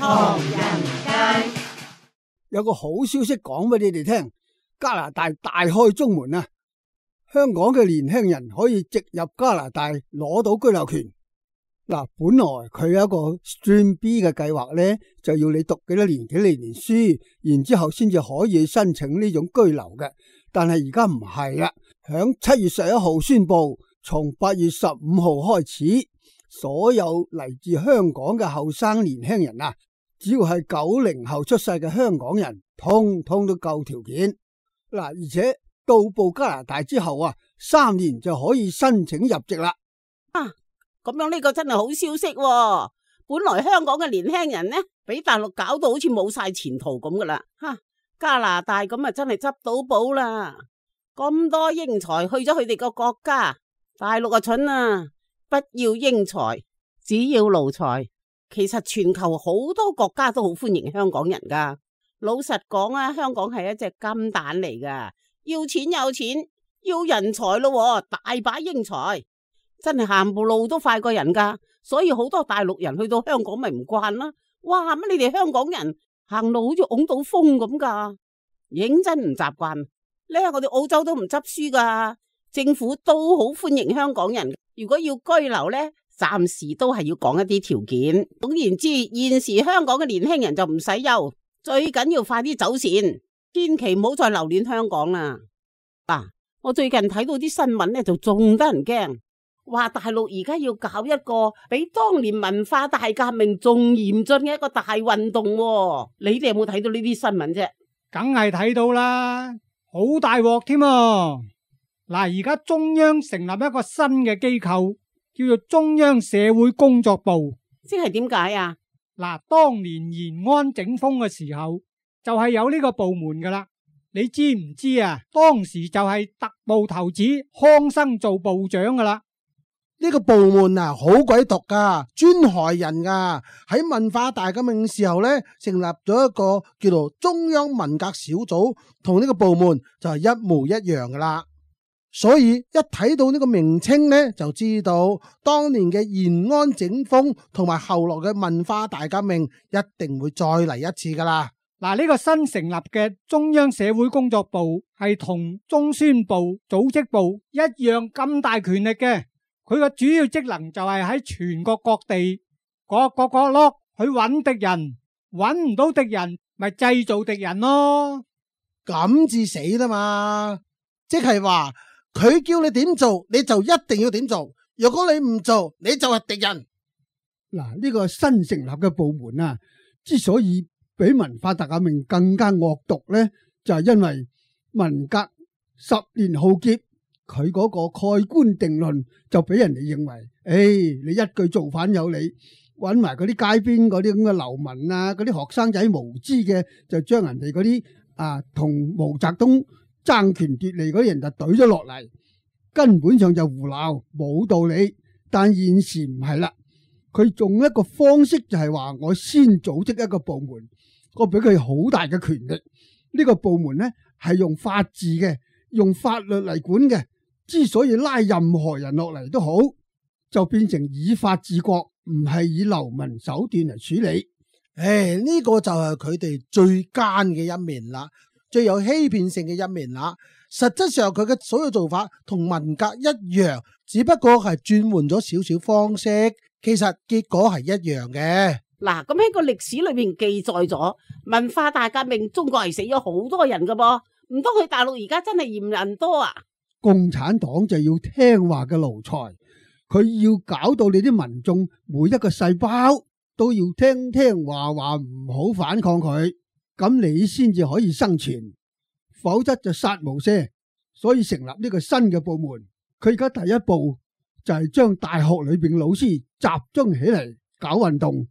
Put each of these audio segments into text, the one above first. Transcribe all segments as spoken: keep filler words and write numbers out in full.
唐人街有個好消息講俾你哋聽，加拿大大開中門啊！香港嘅年輕人可以直入加拿大攞到居留權。嗱，本來佢有一個 Stream B 嘅計劃呢，就要你讀幾多年幾多年書，然之後先至可以申請呢種居留嘅。但係而家唔係啦，響七月十一號宣布，從八月十五號開始，所有嚟自香港嘅後生年輕人啊，只要係九零後出世嘅香港人，通通都夠條件。嗱，而且到埗加拿大之後啊，三年就可以申請入籍啦。啊！咁樣呢個真係好消息喎。本來香港嘅年輕人呢，俾大陸搞到好似冇晒前途咁噶啦，吓，加拿大咁啊真係執到寶啦。咁多英才去咗佢哋個國家，大陸啊蠢啊，不要英才，只要奴才。其實全球好多國家都好歡迎香港人噶。老實講啊，香港係一隻金蛋嚟噶，要錢有錢，要人才咯，大把英才。真係行步路都快過人噶，所以好多大陸人去到香港咪唔慣啦。哇，乜你哋香港人行路好似拱到風咁噶，認真唔習慣咧。我哋澳洲都唔執輸噶，政府都好歡迎香港人。如果要居留呢，暫時都係要講一啲條件。總言之，現時香港嘅年輕人就唔使憂，最緊要快啲走線，千祈唔好再留戀香港啦。嗱、啊，我最近睇到啲新聞呢，就仲得人驚。話大陸而家要搞一個比當年文化大革命仲嚴峻嘅一個大運動喎，你哋有冇睇到呢啲新聞啫？梗係睇到啦，好大鑊添啊！嗱，而家中央成立一個新嘅機構，叫做中央社會工作部，即係點解啊？嗱，當年延安整風嘅時候，就係有呢個部門噶啦。你知唔知啊？當時就係特務頭子康生做部長噶啦。呢個部門啊，好鬼毒噶，專害人噶。喺文化大革命時候呢，成立咗一個叫做中央文革小組，同呢個部門就係一模一樣噶啦。所以一睇到呢個名稱呢，就知道當年嘅延安整風同埋後來嘅文化大革命一定會再嚟一次噶啦。嗱，呢個新成立嘅中央社會工作部係同中宣部、組織部一樣咁大權力嘅。佢個主要職能就係喺全國各地各個角落去揾敵人，揾唔到敵人咪製造敵人咯。咁至死啦嘛！即係話佢叫你點做，你就一定要點做。如果你唔做，你就係敵人。嗱，呢個新成立嘅部門啊，之所以比文化大革命更加惡毒呢，就係因為文革十年浩劫。佢嗰個蓋棺定論就俾人哋認為，誒、哎，你一句造反有理，揾埋嗰啲街邊嗰啲咁嘅流民啊，嗰啲學生仔無知嘅，就將人哋嗰啲啊同毛澤東爭權奪利嗰啲人就懟咗落嚟，根本上就胡鬧，冇道理。但現時唔係啦，佢用一個方式就係話，我先組織一個部門，我俾佢好大嘅權力。呢、這個部門呢係用法治嘅，用法律嚟管嘅。之所以拉任何人落嚟都好，就變成以法治國，唔係以流民手段嚟處理。誒，呢個就係佢哋最奸嘅一面啦，最有欺騙性嘅一面啦。實質上佢嘅所有做法同文革一樣，只不過係轉換咗少少方式，其實結果係一樣嘅。嗱，咁喺個歷史裏邊記載咗文化大革命，中國係死咗好多人噶噃，唔通佢大陸而家真係嫌人多啊？共產黨就要聽話嘅奴才，佢要搞到你啲民眾每一個細胞都要聽聽話話，唔好反抗佢，咁你先至可以生存，否則就殺無赦。所以成立呢個新嘅部門，佢而家第一步就係將大學裏邊老師集中起嚟搞運動，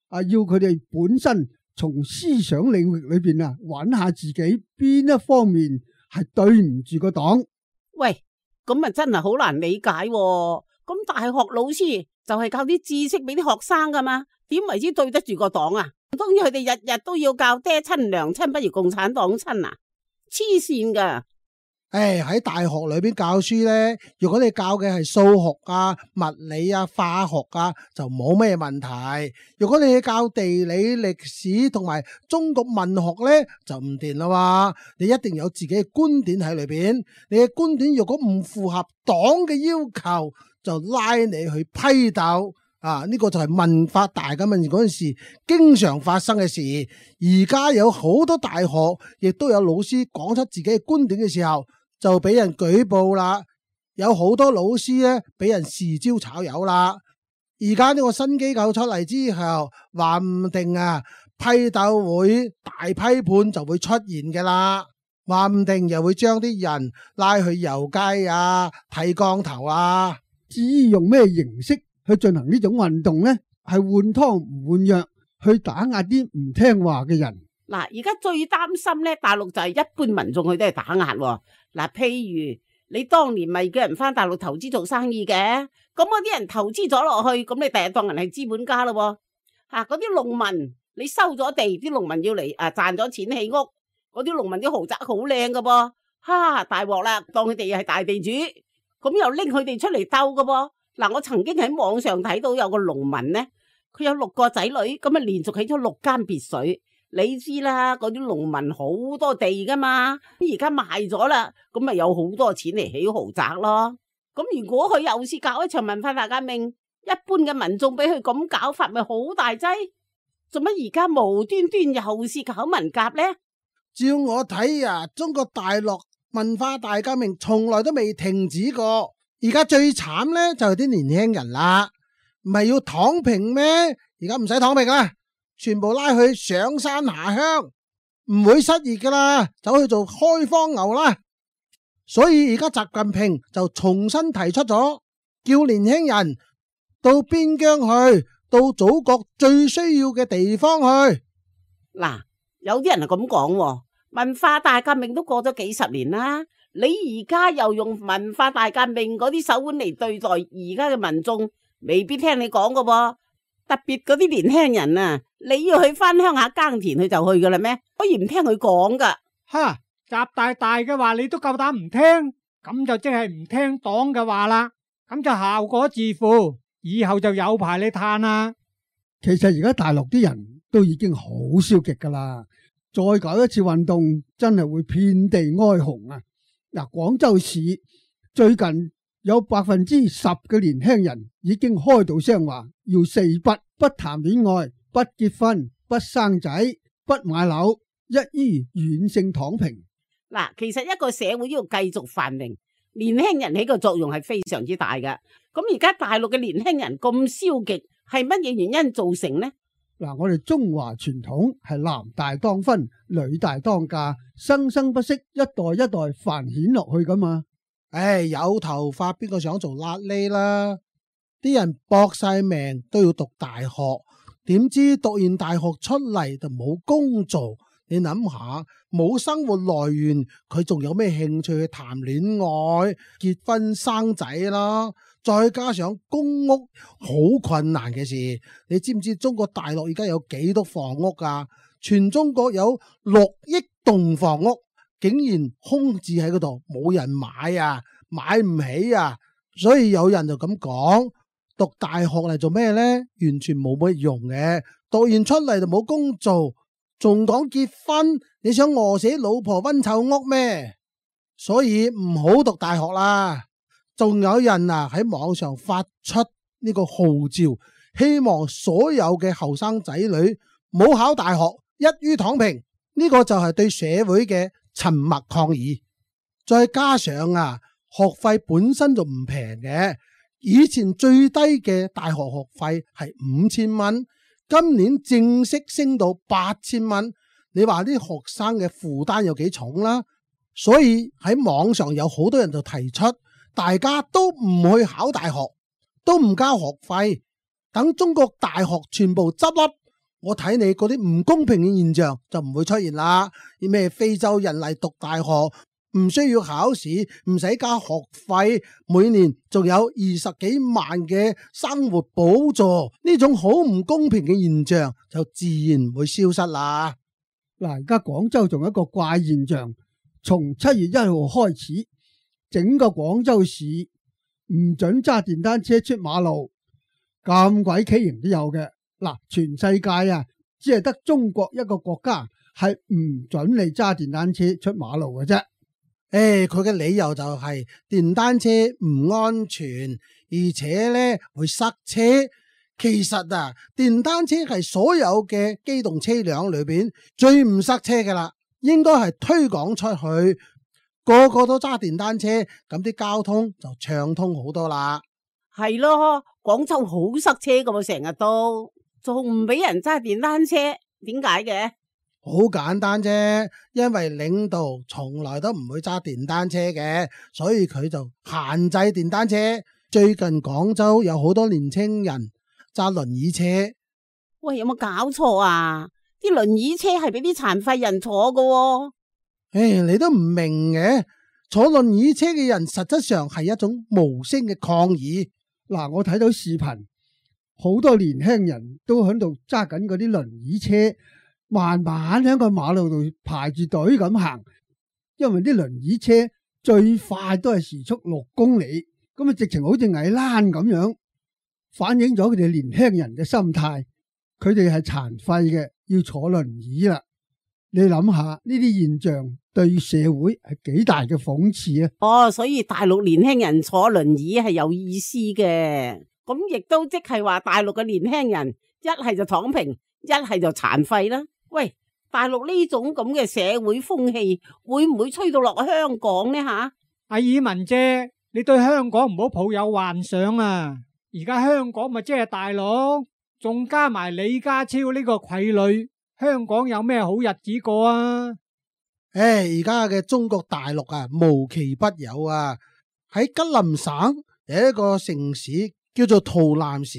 啊，要佢哋本身從思想領域裏邊啊，揾下自己邊一方面係對唔住個黨。喂，咁啊真係好難理解喎。咁大學老師就係教啲知識俾啲學生噶嘛，點為之對得住個黨啊？當然佢哋日日都要教爹親娘親不如共產黨親啊，黐線噶。誒，喺大學裏邊教書呢，如果你教嘅係數學啊、物理啊、化學啊，就冇咩問題。如果你教地理、歷史同埋中國文學呢，就唔掂啦嘛。你一定有自己嘅觀點喺裏邊，你嘅觀點如果唔符合黨嘅要求，就拉你去批鬥。啊！呢個就係文化大革命嗰陣時經常發生嘅事。而家有好多大學亦都有老師講出自己嘅觀點嘅時候，就俾人舉報啦。有好多老師咧俾人豉椒炒魷啦。而家呢個新機構出嚟之後，話唔定啊批鬥會大批判就會出現嘅啦。話唔定又會將啲人拉去遊街啊、剃光頭啊。至於用咩形式去進行呢種運動呢？係換湯唔換藥，去打壓啲唔聽話嘅人。嗱，而家最擔心咧，大陸就係一般民眾佢都係打壓。嗱，譬如你當年咪叫人翻大陸投資做生意嘅，咁嗰啲人投資咗落去，咁你第日當人係資本家咯。吓，嗰啲農民你收咗地，啲農民要嚟啊賺咗錢起屋，嗰啲農民啲豪宅好靚噶噃，哈大鑊啦，當佢哋係大地主，咁又拎佢哋出嚟鬥噶噃。嗱，我曾經喺網上睇到有個農民呢，佢有六個仔女，咁啊連續起咗六間別墅。你知啦，嗰啲農民好多地噶嘛，而家賣咗啦，咁咪有好多錢嚟起豪宅咯。咁如果佢又是搞一場文化大革命，一般嘅民眾俾佢咁搞法，咪好大劑？做乜而家無端端又是搞文革呢？照我睇啊，中國大陸文化大革命從來都未停止過。而家最慘呢，就係啲年輕人啦，唔係要躺平咩？而家唔使躺平啦，全部拉去上山下鄉，唔會失業噶啦，走去做開荒牛啦。所以而家習近平就重新提出咗，叫年輕人到邊疆去，到祖國最需要嘅地方去。嗱，有啲人係咁講，文化大革命都過咗幾十年啦。你而家又用文化大革命嗰啲手腕嚟對待而家嘅民眾，未必聽你講噶噃。特別嗰啲年輕人啊，你要去翻鄉下耕田，佢就去噶啦咩？可以唔聽佢講噶？哈，習大大嘅話你都夠膽唔聽，咁就即係唔聽黨嘅話啦，咁就效果自負，以後就有排你嘆啦。其實而家大陸啲人都已經好消極噶啦，再搞一次運動，真係會遍地哀鴻啊！嗱，廣州市最近有百分之十嘅年輕人已經開到聲話要四不：不談戀愛、不結婚、不生仔、不買樓，一於軟性躺平。嗱，其實一個社會要繼續繁榮，年輕人起個作用係非常之大㗎。咁而家大陸嘅年輕人咁消極，係乜嘢原因造成呢？嗱，我哋中華傳統係男大當婚，女大當嫁，生生不息，一代一代繁衍落去噶嘛。唉，有頭髮邊個想做瘌痢啦？啲人搏晒命都要讀大學，點知讀完大學出嚟就冇工做。你諗下，冇生活來源，佢仲有咩興趣去談戀愛、結婚生仔啦？再加上公屋好困難嘅事，你知唔知中國大陸而家有幾多房屋噶？全中國有六億棟房屋，竟然空置喺嗰度，冇人買啊，買唔起啊！所以有人就咁講，讀大學嚟做咩呢？完全冇乜用嘅，讀完出嚟就冇工做。仲講結婚，你想餓死老婆溫臭屋咩？所以唔好讀大學啦。仲有人啊喺網上發出呢個號召，希望所有嘅後生仔女唔好考大學，一於躺平。呢個就係對社會嘅沉默抗議。再加上啊，學費本身就唔平嘅，以前最低嘅大學學費係五千蚊。今年正式升到八千蚊，你話啲學生嘅負擔有幾重啦？所以喺網上有好多人就提出，大家都唔去考大學，都唔交學費，等中國大學全部執笠，我睇你嗰啲唔公平嘅現象就唔會出現啦。啲咩非洲人嚟讀大學，唔需要考試，唔使交學費，每年仲有二十幾萬嘅生活補助，呢種好唔公平嘅現象就自然會消失啦。嗱，而家廣州仲有一個怪現象，從七月一號開始，整個廣州市唔准揸電單車出馬路，咁鬼畸形都有嘅。嗱，全世界啊，只係得中國一個國家係唔准你揸電單車出馬路嘅啫。誒，佢嘅理由就係電單車唔安全，而且咧會塞車。其實啊，電單車係所有嘅機動車輛裏邊最唔塞車噶啦，應該係推廣出去，個個都揸電單車，咁啲交通就暢通好多啦。係咯，廣州好塞車噶喎，成日都仲唔俾人揸電單車，點解嘅？好簡單啫，因為領導從來都唔會揸電單車嘅，所以佢就限制電單車。最近廣州有好多年青人揸輪椅車。喂，有冇搞錯啊？啲輪椅車係俾啲殘廢人坐噶喎。誒，你都唔明嘅，坐輪椅車嘅人實質上係一種無聲嘅抗議。嗱，我睇到視頻，好多年輕人都喺度揸緊嗰啲輪椅車，慢慢喺個馬路度排住隊咁行，因為啲輪椅車最快都係時速六公里，咁啊直情好似矮欄咁樣，反映咗佢哋年輕人嘅心態，佢哋係殘廢嘅，要坐輪椅啦。你諗下呢啲現象對社會係幾大嘅諷刺啊！哦，所以大陸年輕人坐輪椅係有意思嘅，咁亦都即係話大陸嘅年輕人一係就躺平，一係就殘廢啦。喂，大陸呢種咁嘅社會風氣會唔會吹到落香港呢？吓，阿爾文姐，你對香港唔好抱有幻想啊！而家香港咪即係大陸，仲加埋李家超呢個傀儡，香港有咩好日子過啊？誒，而家嘅中國大陸啊，無奇不有啊！喺吉林省有一個城市叫做圖南市，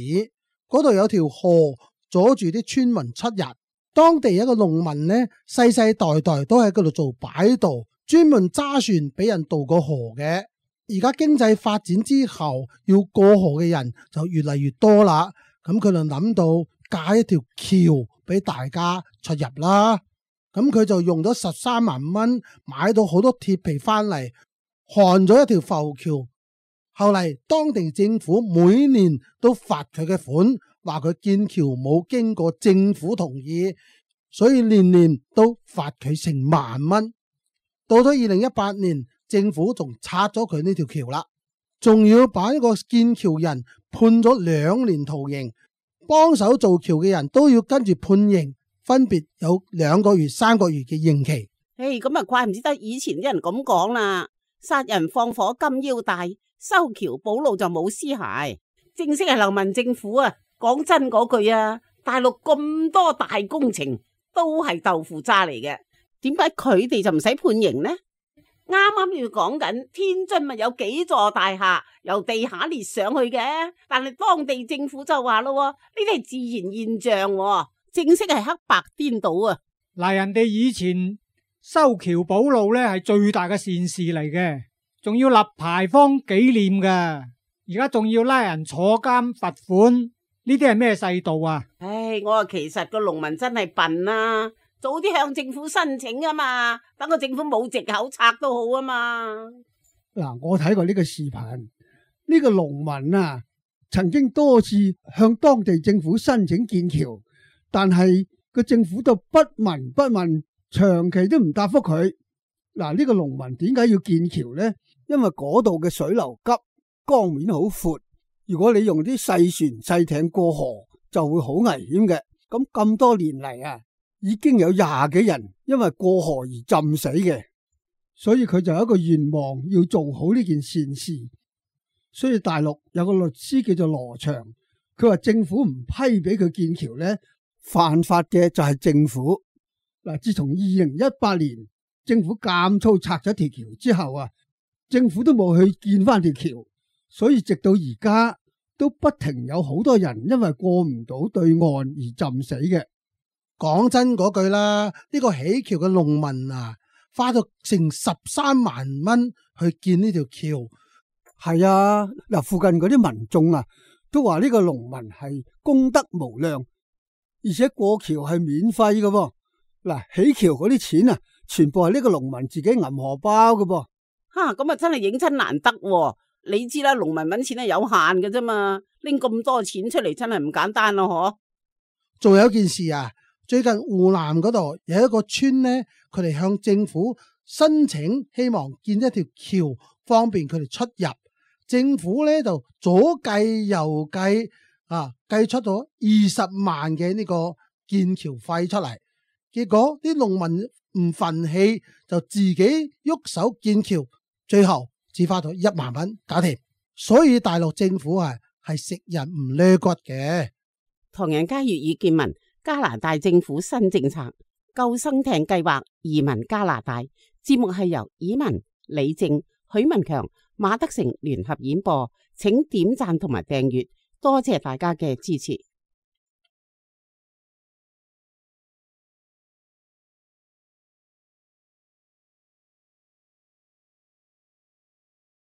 嗰度有條河阻住啲村民出入。當地一個農民呢，世世代代都喺嗰度做擺渡，專門揸船俾人渡過河嘅。而家經濟發展之後，要過河嘅人就越嚟越多啦。咁佢就諗到架一條橋俾大家出入啦。咁佢就用咗十三萬蚊買到好多鐵皮翻嚟，焊咗一條浮橋。後嚟當地政府每年都罰佢嘅款。話佢建橋冇經過政府同意，所以年年都罰佢成萬蚊。到咗二零一八年，政府仲拆咗佢呢條橋啦，仲要把呢個建橋人判咗兩年徒刑，幫手做橋嘅人都要跟住判刑，分別有兩個月、三個月嘅刑期。誒，咁啊，怪唔之得以前啲人咁講啦，殺人放火金腰帶，修橋補路就冇屍骸。正式係流民政府啊！講真嗰句啊，大陸咁多大工程都係豆腐渣嚟嘅，點解佢哋就唔使判刑呢？啱啱要講緊天津咪有幾座大廈由地下裂上去嘅，但係當地政府就話咯，呢啲係自然現象，正式係黑白顛倒啊！嗱，人哋以前修橋補路咧係最大嘅善事嚟嘅，仲要立牌坊紀念噶，而家仲要拉人坐監罰款。呢啲係咩世道啊？唉，我話其實個農民真係笨啊，早啲向政府申請啊嘛，等個政府冇藉口拆都好啊嘛。嗱，我睇過呢個視頻，呢個農民啊，曾經多次向當地政府申請建橋，但係個政府都不聞不問，長期都唔答覆佢。嗱，呢個農民點解要建橋呢？因為嗰度嘅水流急，江面好闊。如果你用啲細船細艇過河，就會好危險嘅。咁咁多年嚟啊，已經有廿幾人因為過河而浸死嘅，所以佢就有一個願望要做好呢件善事。所以大陸有個律師叫做羅祥，佢話政府唔批俾佢建橋呢，犯法嘅就係政府。嗱，自從二零一八年政府監粗拆咗條橋之後啊，政府都冇去建翻條橋。所以直到而家都不停有好多人因為過唔到對岸而浸死嘅。講真嗰句啦，呢個起橋嘅農民啊，花咗成十三萬蚊去建呢條橋。係啊，嗱，附近嗰啲民眾啊都話呢個農民係功德無量，而且過橋係免費嘅喎。嗱，起橋嗰啲錢啊全部係呢個農民自己銀荷包嘅噃。吓，咁啊真係認真難得喎。你知啦，農民搵錢係有限嘅啫嘛，拎咁多錢出嚟真係唔簡單咯，嗬。仲有一件事啊，最近湖南嗰度有一個村呢，佢哋向政府申請，希望建一條橋，方便佢哋出入。政府咧就左計右計啊，計出咗二十萬嘅呢個建橋費出嚟。結果啲農民唔忿氣，就自己喐手建橋，最後只花咗一萬蚊搞掂。所以大陸政府啊係食人唔掠骨嘅。唐人街粵語見聞，加拿大政府新政策救生艇計劃移民加拿大。節目係由以文、李正、許文強、馬德成聯合演播，請點讚同埋訂閱，多謝大家嘅支持。